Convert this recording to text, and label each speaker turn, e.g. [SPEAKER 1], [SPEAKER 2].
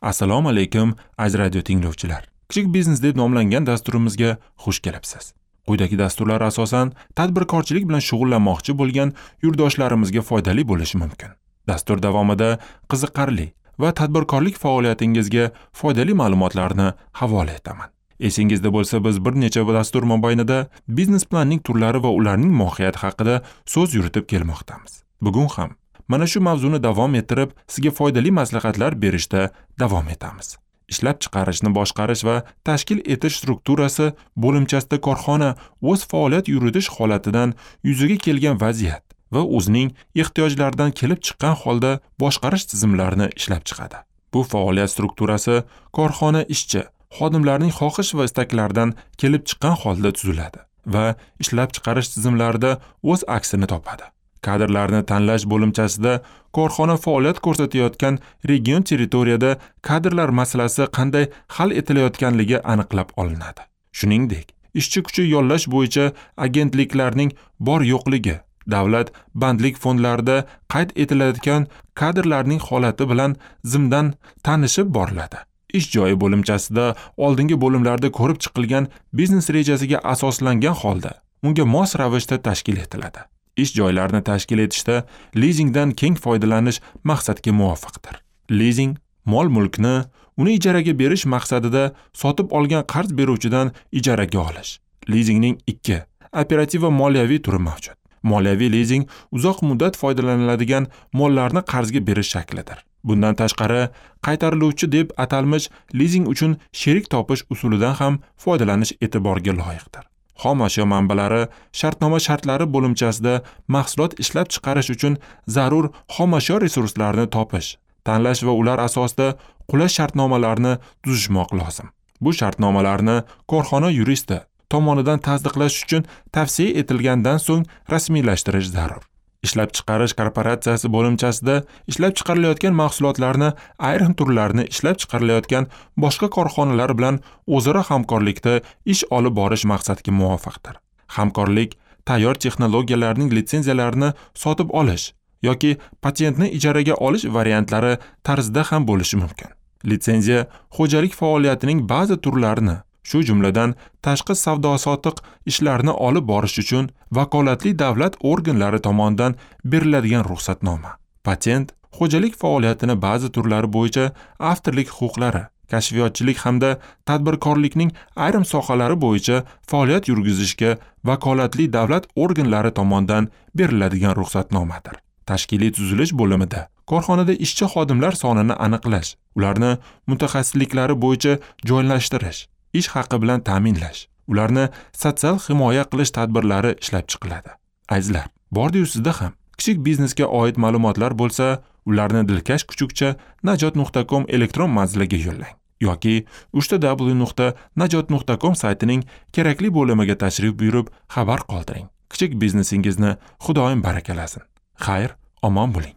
[SPEAKER 1] Assalomu alaykum, aziz radio tinglovchilar. Kichik biznes deb nomlangan dasturimizga xush kelibsiz. Quyidagi dasturlar asosan tadbirkorchilik bilan shug'ullanmoqchi bo'lgan yurtdoshlarimizga foydali bo'lishi mumkin. Dastur davomida qiziqarli va tadbirkorlik faoliyatingizga foydali ma'lumotlarni havola etaman. Esingizda bo'lsa, biz bir necha dastur mobaynida biznes planning turlari va ularning mohiyati haqida so'z yuritib kelmoqdamiz. Bugun ham mana shu mavzuni davom ettirib, sizga foydali maslahatlar berishda davom etamiz. Ishlab chiqarishni boshqarish va tashkil etish strukturasi bo'limchasida korxona o'z faoliyat yuritish holatidan yuzaga kelgan vaziyat va o'zining ehtiyojlaridan kelib chiqqan holda boshqarish tizimlarini ishlab chiqadi. Bu faoliyat strukturasi korxona ishchi xodimlarning xohish va istaklaridan kelib chiqqan holda tuziladi va ishlab chiqarish tizimlarida o'z aksini topadi. Kadrlarni tanlash bo'limchasida korxona faoliyat ko'rsatayotgan region territoriyada kadrlar masalasi qanday hal etilayotganligi aniqlab olinadi. Shuningdek, ishchi kuchi yollash bo'yicha agentliklarning bor yo'qligi, davlat bandlik fondlarida qayd etilayotgan kadrlarning holati bilan zimdan tanishib boriladi. Ish joyi bo'limchasida oldingi bo'limlarda ko'rib chiqilgan biznes rejasiga asoslangan holda unga mos ravishda tashkil etiladi. Ish joylarini tashkil etishda lizingdan keng foydalanish maqsadga muvofiqdir. Lizing mol-mulkni uni ijaraga berish maqsadida sotib olgan qarz beruvchidan ijaraga olish. Lizingning ikki operativ va moliyaviy turi mavjud. Moliyaviy lizing uzoq muddat foydalaniladigan mollarni qarzga berish shaklidir. Bundan tashqari, qaytariluvchi deb atalmish lizing uchun sherik topish usulidan ham foydalanish e'tiborga loyiqdir. Xom ashyo manbalari shartnoma shartlari bo'limchasida mahsulot ishlab chiqarish uchun zarur xom ashyo resurslarini topish, tanlash va ular asosida qulay shartnomalarni tuzishmoq lozim. Bu shartnomalarni korxona yuristi tomonidan tasdiqlash uchun tavsiya etilgandan so'ng rasmiylashtirish zarur. Ishlab chiqarish korporatsiyasi bo'limchasida ishlab chiqarilayotgan mahsulotlarni ayrim turlarini ishlab chiqarilayotgan boshqa korxonalar bilan o'zaro hamkorlikda ish olib borish maqsadga muvofiqdir. Hamkorlik tayyor texnologiyalarning litsenziyalarini sotib olish yoki patentni ijaraga olish variantlari tarzida ham bo'lishi mumkin. Litsenziya xo'jalik faoliyatining ba'zi turlarini, shu jumladan tashqi savdo-sotiq ishlarini olib borish uchun vakolatli davlat organlari tomonidan beriladigan ruxsatnoma. Patent xo'jalik faoliyatini ba'zi turlari bo'yicha avtorlik huquqlari, kashfiyotchilik hamda tadbirkorlikning ayrim sohalari bo'yicha faoliyat yurgizishga vakolatli davlat organlari tomonidan beriladigan ruxsatnomadir. Tashkiliy tuzilish bo'limida korxonada ishchi xodimlar sonini aniqlash, ularni mutaxassisliklari bo'yicha joylashtirish, ish haqi bilan ta'minlash, ularni sotsial himoya qilish tadbirlari ishlab chiqiladi. Azizlar, bordi-yu sizda ham kichik biznesga oid ma'lumotlar bo'lsa, ularni dilkash kuchukcha najot.com elektron manziliga yo'llang yoki www.najot.com saytining kerakli bo'limiga tashrif buyurib xabar qoldiring. Kichik biznesingizni Xudoyim barakalasin. Xayr, omon bo'ling.